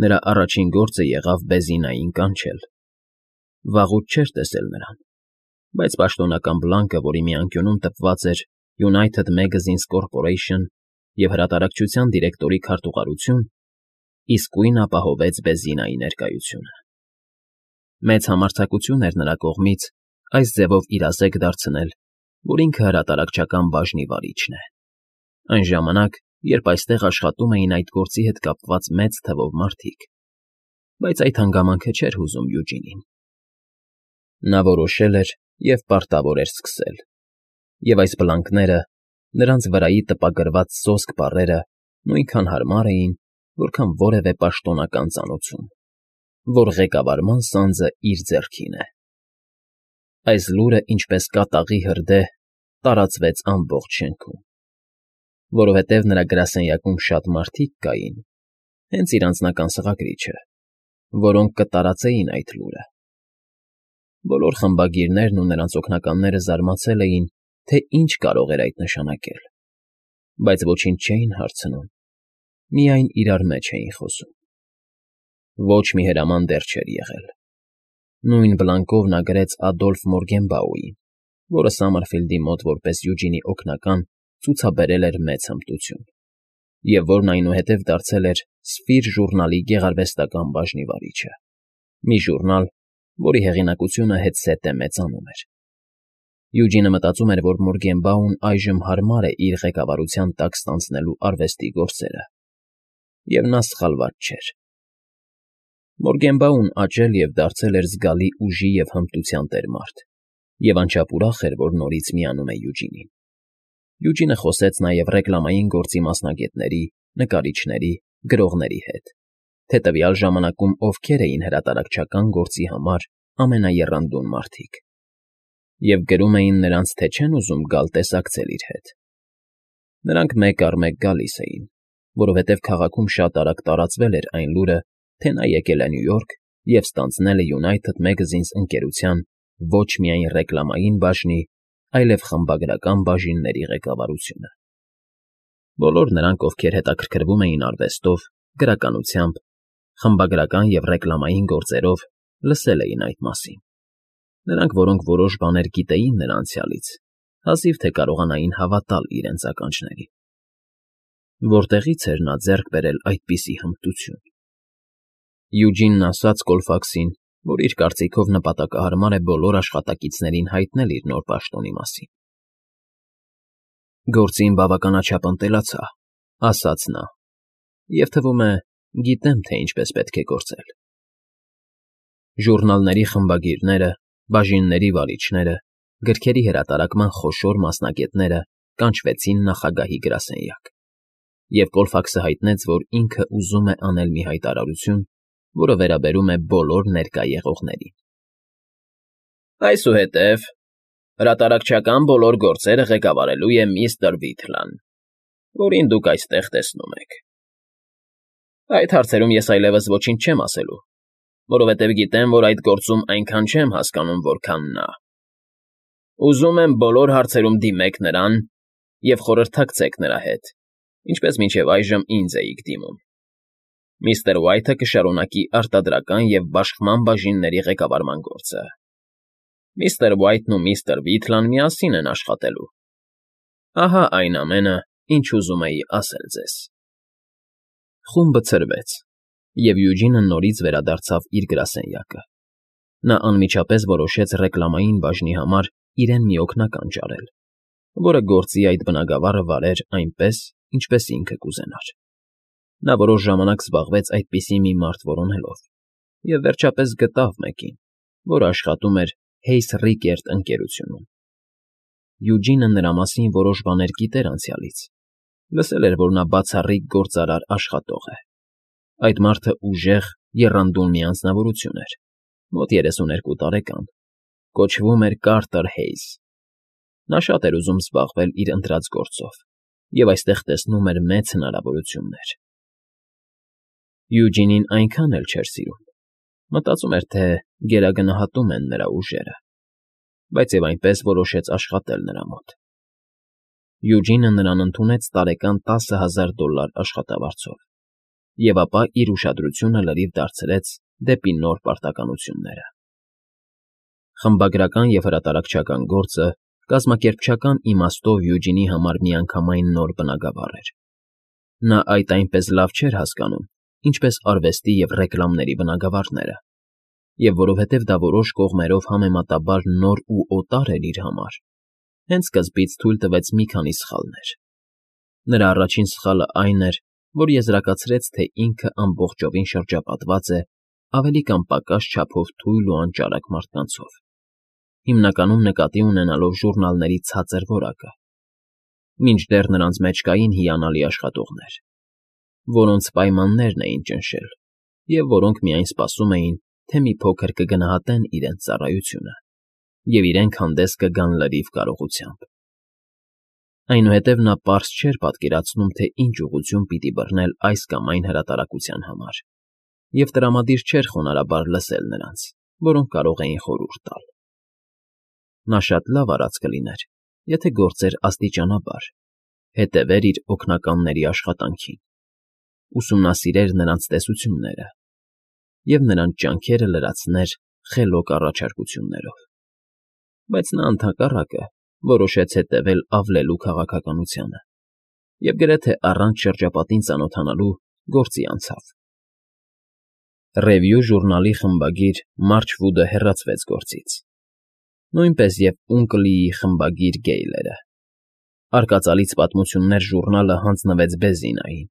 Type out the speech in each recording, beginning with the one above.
Նրա առաջին գործը եղավ Բեզինային կանչել։ Վաղուց չէր տեսել նրան, բայց պաշտոնական բլանկը, որի մի անկյունում տպված էր United Magazines Corporation և հրատարակչության դիրեկտորի քարտուղարություն, իսկույն ապահովեց Բեզինայի ներկայությունը։ Մեծ համարձակություն էր նրա կողմից այս ձևով իրազեկ դարձնել, որ ինքը հրատարակչական բաժնի վարիչն է, այն ժամանակ, երբ այստեղ աշխատում էին այդ գործի հետ կապված մեծ թվով մարդիկ, բայց այդ հանգամանքը չէր հուզում Յուջինին։ Նա որոշել էր և պարտավոր էր սկսել, և այս բլանկները, նրանց վրայի տպագրված սոսկ բառերը նույնքան հարմար էին, որքան որևէ պաշտոնական ծանոթություն, որ ղեկավարման սանձը իր ձեռքին է։ Այս լուրը, ինչպես կատաղի հրդեհ, տարածվեց ամբողջ շենքում, որովհետև նրա գրասենյակում շատ մարդիկ կային, հենց իր անձնական սղագրիչը, որոնք կտարածեին այդ լուրը։ Բոլոր խմբագիրներն ու նրանց օգնականները զարմացել էին, թե ինչ կարող էր այդ նշանակել, բայց ոչինչ չէին հարցնում, միայն իրար մեջ էին խոսում։ Ոչ մի հրաման դեռ չէր եղել։ Նույն բլանկով նա գրեց Ադոլֆ Մորգենբաուին, որը Սամարֆիլդի մոտ որպես Յուջինի օգնական ցուցաբերել էր մեծ հմտություն, և որն այնուհետև դարձել էր Սֆիր ժուռնալի գեղարվեստական բաժնի վարիչը, մի ժուռնալ, որի հեղինակությունը հետզհետե մեծանում էր։ Յուջինը մտածում էր, որ Մորգենբաուն այժմ հարմար է իր ղեկավարության տակ ստանձնելու արվեստի գործերը, և նա սխալված չէր։ Մորգենբաուն աճել և դարձել էր զգալի ուժի և հմտության տերմարդ, և անչափ ուրախ էր, որ նորից միանում է Յուջինին։ Յուջինը խոսեց նաև ռեկլամային գործի մասնագետների, նկարիչների, գրողների հետ, թե տվյալ ժամանակում ովքեր էին հրատարակչական գործի համար ամենաեռանդուն մարդիկ, և գրում էին նրանց, թե չեն ուզում գալ տեսակցել իր հետ։ Նրանք մեկ առ մեկ գալիս էին, որովհետև քաղաքում շատ արագ տարածվել էր այն լուրը, թե նա եկել է Նյու Յորք և ստանձնել է United Magazines ընկերության ոչ միայն ռեկլամային բաժնի, այլև խմբագրական բաժինների ղեկավարությունը։ Բոլոր նրանք, ովքեր հետաքրքրվում էին արվեստով, գրականությամբ, խմբագրական և ռեկլամային գործերով, լսել էին այդ մասին։ Նրանք, որոնք որոշ բաներ գիտեին նրա անցյալից, հազիվ թե կարողանային հավատալ իրենց ականջներին։ Որտեղի՞ց էր նա ձեռք բերել այդպիսի հմտություն։ Յուջինն ասաց Կոլֆաքսին, որ իր կարծիքով նպատակահարմար է բոլոր աշխատակիցներին հայտնել իր նոր պաշտոնի մասին։ «Գործին բավականաչափ ընտելացա», ասաց նա, «և թվում է, գիտեմ, թե ինչպես պետք է գործել»։ Ժուռնալների խմբագիրները, բաժինների վարիչները, գրքերի հրատարակման խոշոր մասնագետները կանչվեցին նախագահի գրասենյակ, և Կոլֆաքսը հայտնեց, որ ինքը ուզում է անել մի հայտարարություն, որը վերաբերում է բոլոր ներկա եղողներին։ «Այսուհետև հրատարակչական բոլոր գործերը ղեկավարելու է միստր Վիթլան, որին դուք այստեղ տեսնում եք։ Այդ հարցերում ես այլևս ոչինչ չեմ ասելու, որովհետև գիտեմ, որ այդ գործում այնքան չեմ հասկանում, որքան նա։ Ուզում եմ բոլոր հարցերում դիմեք նրան և խորհրդակցեք նրա հետ, ինչպես մինչև այժմ ինձ էիք դիմում։ Միստր Ուայթը կշարունակի արտադրական և բաշխման բաժինների ղեկավարման գործը։ Միստր Ուայթն ու միստր Վիթլան միասին են աշխատելու։ Ահա այն ամենը, ինչ ուզում էի ասել ձեզ»։ Խումբը ցրվեց, և Յուջինը նորից վերադարձավ իր գրասենյակը։ Նա անմիջապես որոշեց ռեկլամային բաժնի համար իրեն մի օգնական ճարել, որը գործի այդ բնագավառը վարեր այնպես, ինչպես ինքը կուզենար։ Նա որոշ ժամանակ զբաղվեց այդպիսի մի մարդ որոնելով և վերջապես գտավ մեկին, որը աշխատում էր Hayes Rickert ընկերությունում։ Յուջինը նրա մասին որոշ բաներ գիտեր անցյալից, լսել էր, որ նա բացառիկ գործարար աշխատող է։ Այդ մարդը ուժեղ, եռանդուն մի անձնավորություն էր, մոտ 32 տարեկան, կոչվում էր Կարտեր Հայզ։ Նա շատ էր ուզում զբաղվել իր ընտրած գործով և այստեղ տեսնում էր մեծ հնարավորություններ։ Յուջինին այնքան էլ չէր սիրում, մտածում էր, թե գերագնահատում են նրա ուժերը, բայց և այնպես որոշեց աշխատել նրա մոտ։ Յուջինը նրան ընդունեց տարեկան $10,000 աշխատավարձով, և ապա իր ուշադրությունը լրիվ դարձրեց դեպի նոր պարտականությունները։ Խմբագրական և հրատարակչական գործը կազմակերպչական իմաստով Յուջինի համար միանգամայն նոր բնագավառ էր։ Նա այդ այնպես լավ չէր հասկանում, ինչպես արվեստի և ռեկլամների բնագավառները, և որովհետև դա որոշ կողմերով համեմատաբար նոր ու օտար էր իր համար, հենց սկզբից թույլ տվեց մի քանի սխալներ։ Նրա առաջին սխալը այն էր, որ եզրակացրեց, թե ինքը ամբողջովին շրջապատված է ավելի կամ պակաս չափով թույլ ու անճարակ մարդկանցով, հիմնականում նկատի ունենալով ժուռնալների ցածր որակը, մինչդեռ նրանց մեջ կային հիանալի աշխատողներ, որոնց պայմաններն էին ճնշել և որոնք միայն սպասում էին, թե մի փոքր կգնահատեն իրենց ծառայությունը և իրենք հանդես կգան լրիվ կարողությամբ։ Այնուհետև նա պարզ չէր պատկերացնում, թե ինչ ուղղություն պիտի բռնել այս կամ այն հրատարակության համար, և տրամադիր չէր խոնարհաբար լսել նրանց, որոնք կարող էին խորհուրդ տալ։ Նա շատ լավ արած կլիներ, եթե գործեր աստիճանաբար, հետևեր իր օգնականների աշխատանքին, ուսումնասիրեր նրանց տեսությունները և նրանց ջանքերը լրացներ խելոք առաջարկություններով։ Բայց նա ընդհակառակը որոշեց հետևել ավլելու քաղաքականությանը և գրեթե առանց շրջապատին ծանոթանալու գործի անցավ։ Ռևյու ժուրնալի խմբագիր Մարչվուդը հեռացվեց գործից, նույնպես և Ունկլիի խմբագիր Գեյլերը։ Արկածալից պատմություններ ժուռնալը հանձնվեց Բեզինային։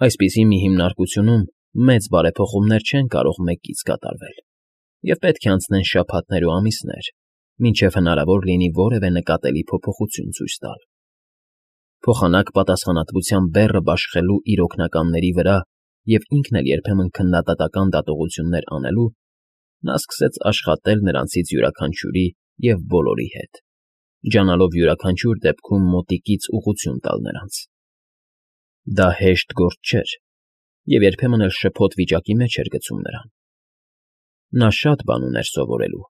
Այսպիսի մի հիմնարկությունում մեծ բարեփոխումներ չեն կարող մեկից կատարվել, և պետք է անցնեն շաբաթներ ու ամիսներ, մինչև հնարավոր լինի որևէ նկատելի փոփոխություն ցույց տալ։ Փոխանակ պատասխանատվության բեռը բաշխելու իր օգնականների վրա և ինքն էլ երբեմն քննադատական դատողություններ անելու, նա սկսեց աշխատել նրանցից յուրաքանչյուրի և բոլորի հետ, ջանալով յուրաքանչյուր դեպքում մոտիկից ուղղություն տալ նրանց։ Դա հեշտ գործ չէր և երբեմն էլ շփոթ վիճակի մեջ էր գցում նրան։ Նա շատ բան ուներ սովորելու։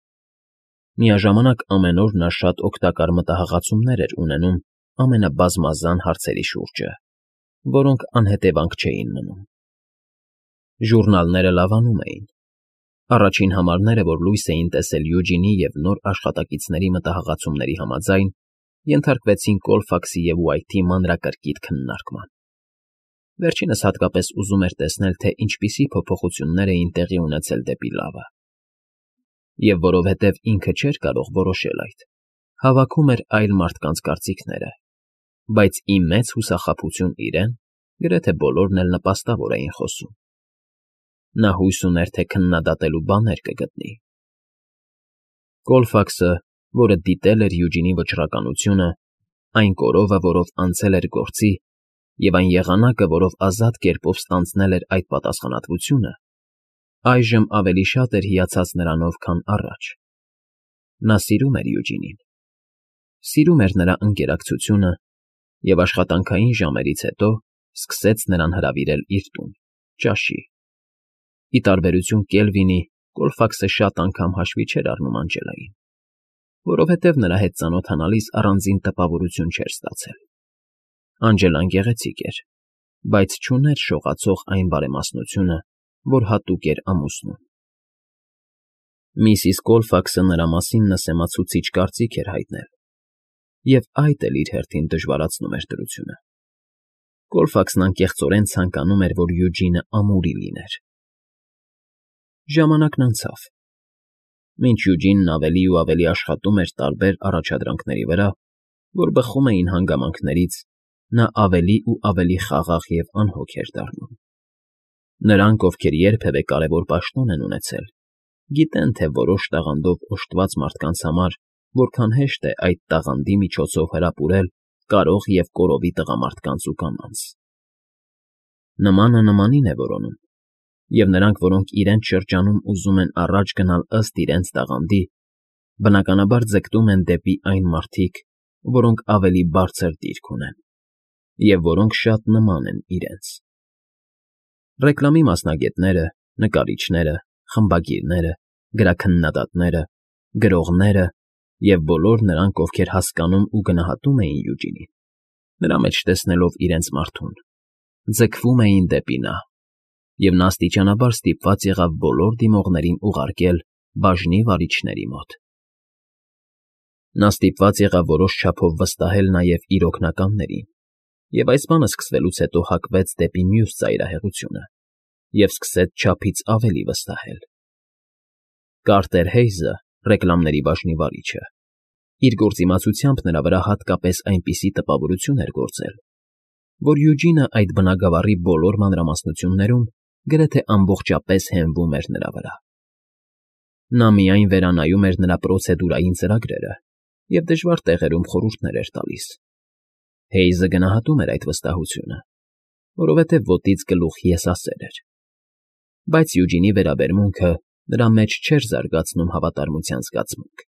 Միաժամանակ ամեն օր նա շատ օգտակար մտահղացումներ էր ունենում ամենաբազմազան հարցերի շուրջը, որոնք անհետևանք չէին մնում։ Ժուռնալները լավանում էին։ Առաջին համարները, որ լույս էին տեսել Յուջինի և նոր աշխատակիցների մտահղացումների համաձայն, ենթարկվեցին Կոլֆաքսի և Ուայթի մանրակրկիտ քննարկման։ Վերջինս հատկապես ուզում էր տեսնել, թե ինչպիսի փոփոխություններ էին տեղի ունեցել դեպի լավը։ Եվ որովհետև ինքը չէր կարող որոշել այդ, հավաքում էր այլ մարդկանց կարծիքները, բայց ի մեծ հուսախաբություն իրեն, գրեթե բոլորն էլ նպաստավոր էին խոսում։ Նա հույս ուներ, թե քննադատելու բաներ կգտնի։ Կոլֆաքսը, որը դիտել էր Յուջինի վճռականությունը, այն կորովը, որով անցել էր գործի, և այն եղանակը, որով ազատ կերպով ստանձնել էր այդ պատասխանատվությունը, այժմ ավելի շատ էր հիացած նրանով, քան առաջ։ Նա սիրում էր Յուջինին, սիրում էր նրա ընկերակցությունը և աշխատանքային ժամերից հետո սկսեց նրան հրավիրել իր տուն՝ ճաշի։ Ի տարբերություն Կելվինի, Կոլֆաքսը շատ անգամ հաշվի չէր առնում Անջելային, որովհետև նրա հետ ծանոթանալիս առանձին տպավորություն չէր ստացել։ Անջելան գեղեցիկ էր, բայց չուներ շողացող այն բարեմասնությունը, որ հատուկ էր ամուսնուն։ Միսիս Կոլֆաքսը նրա մասին նսեմացուցիչ կարծիք էր հայտնել, և այդ էլ իր հերթին դժվարացնում էր դրությունը։ Կոլֆաքսն անկեղծորեն ցանկանում էր, որ Յուջինը ամուրի լիներ։ Ժամանակն անցավ։ Մինչ Յուջինն ավելի ու ավելի աշխատում էր տարբեր առաջադրանքների վրա, որ բխում էին հանգամանքներից, նա ավելի ու ավելի խաղաղ և անհոգ էր դառնում։ Նրանք, ովքեր երբևէ կարևոր պաշտոն են ունեցել, գիտեն, թե որոշ տաղանդով օժտված մարդկանց համար որքան հեշտ է այդ տաղանդի միջոցով հրապուրել կարող և կորովի տղամարդկանց ու կանանց։ Նմանը նմանին է որոնում, և նրանք, որոնք իրենց շրջանում ուզում են առաջ գնալ ըստ իրենց տաղանդի, բնականաբար ձգտում են դեպի այն մարդիկ, որոնք ավելի բարձր դիրք ունեն և որոնք շատ նման են իրենց։ Ռեկլամի մասնագետները, նկարիչները, խմբագիրները, գրաքննադատները, գրողները և բոլոր նրանք, ովքեր հասկանում ու գնահատում էին Յուջինին, նրա մեջ տեսնելով իրենց մարդուն, ձգվում էին դեպի նա, և նա աստիճանաբար ստիպված եղավ բոլոր դիմողներին ուղարկել բաժնի վարիչների մոտ։ Նա ստիպված եղավ որոշ չափով վստահել նաև իր օգնականներին, և այս բանը սկսվելուց հետո հակվեց դեպի մյուս ծայրահեղությունը և սկսեց չափից ավելի վստահել։ Կարտեր Հեյզը, ռեկլամների բաժնի վարիչը, իր գործիմացությամբ նրա վրա հատկապես այնպիսի տպավորություն էր գործել, որ Յուջինը այդ բնագավառի բոլոր մանրամասնություններում գրեթե ամբողջապես հենվում էր նրա վրա։ Նա միայն վերանայում էր նրա պրոցեդուրային ծրագրերը և դժվար տեղերում խորհուրդներ էր տալիս։ Հեյզը գնահատում էր այդ վստահությունը, որովհետև ոտից գլուխ եսասեր էր, բայց Յուջինի վերաբերմունքը նրա մեջ չէր զարգացնում հավատարմության զգացմունք։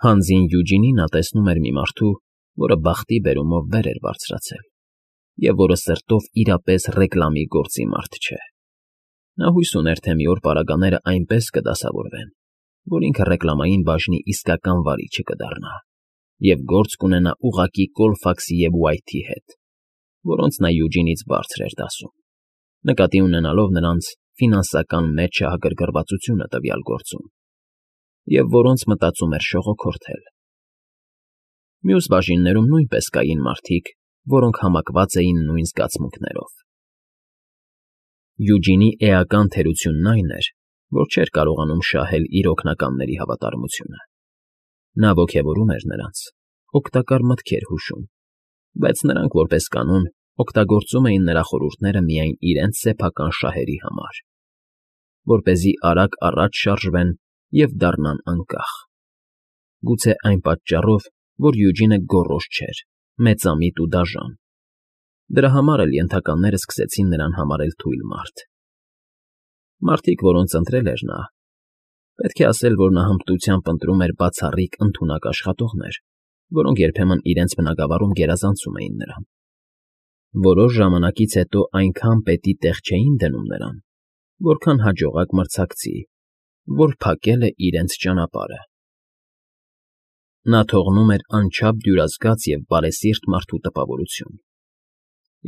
Հանձին Յուջինին նա տեսնում էր մի մարդու, որը բախտի բերումով վեր էր բարձրացել, և որը սրտով իրապես ռեկլամի գործի մարդ չէ։ Նա հույս ուներ, թե մի օր պարագաները այնպես կդասավորվեն, որ ինքը ռեկլամային բաժնի իսկական վարիչը կդառնա և գործ կունենա ուղղակի Կոլֆաքսի և Ուայթի հետ, որոնց նա Յուջինից բարձր էր դասում, նկատի ունենալով նրանց ֆինանսական մեծ շահագրգռվածությունը տվյալ գործում, և որոնց մտածում էր շողոքորթել։ Մյուս բաժիններում նույնպես կային մարդիկ, որոնք համակված էին նույն զգացմունքներով։ Յուջինի էական թերությունն այն էր, որ չէր կարողանում շահել իր օգնականների հավատարմությունը։ Նա ոգևորում էր նրանց, օգտակար մտքեր հուշում, բայց նրանք, որպես կանոն, օգտագործում էին նրա խորհուրդները միայն իրենց սեփական շահերի համար, որպեսզի արագ առաջ շարժվեն և դառնան անկախ։ Գուցե այն պատճառով, որ Յուջինը գոռոզ չէր, մեծամիտ ու դաժան։ Դրա համար էլ ենթականները սկսեցին նրան համարել թույլ մարդ։ Մարդիկ, որոնց ընտրել էր նա, պետք է ասել, որ նա հմտությամբ ընտրում էր բացառիկ ընդունակ աշխատողներ, որոնք երբեմն իրենց բնագավառում գերազանցում էին նրան։ Որոշ ժամանակից հետո այնքան պետի տեղ չէին դնում նրան, որքան հաջողակ մրցակցի, որ փակել է իրենց ճանապարհը։ Նա թողնում էր անչափ դյուրազգաց և բարեսիրտ մարդու տպավորություն։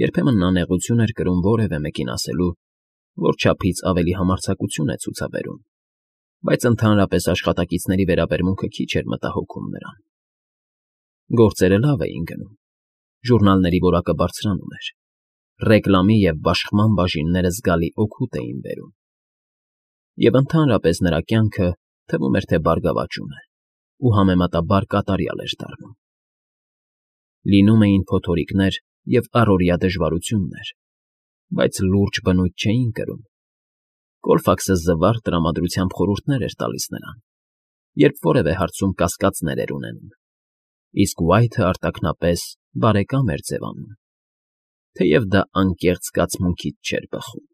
Երբեմն նա նեղություն էր կրում որևէ մեկին ասելու, որ չափից ավելի համարձակություն է ցուցաբերում, բայց ընդհանրապես աշխատակիցների վերաբերմունքը քիչ էր մտահոգում նրան։ Գործերը լավ էին գնում, ժուռնալների որակը բարձրանում էր, ռեկլամի և բաշխման բաժինները զգալի օգուտ էին բերում, և ընդհանրապես նրա կյանքը թվում էր, թե բարգավաճում է ու համեմատաբար կատարյալ էր դառնում։ Լինում էին փոթորիկներ և առօրյա դժվարություններ, բայց լուրջ բնույթ չէին կրում։ Կոլֆաքսը զվարթ տրամադրությամբ խորհուրդներ էր տալիս նրան, երբ որևէ հարցում կասկածներ էր ունենում, իսկ Ուայթը արտաքնապես բարեկամ էր ձևանում, թեև դա անկեղծ զգացմունքից չէր բխում։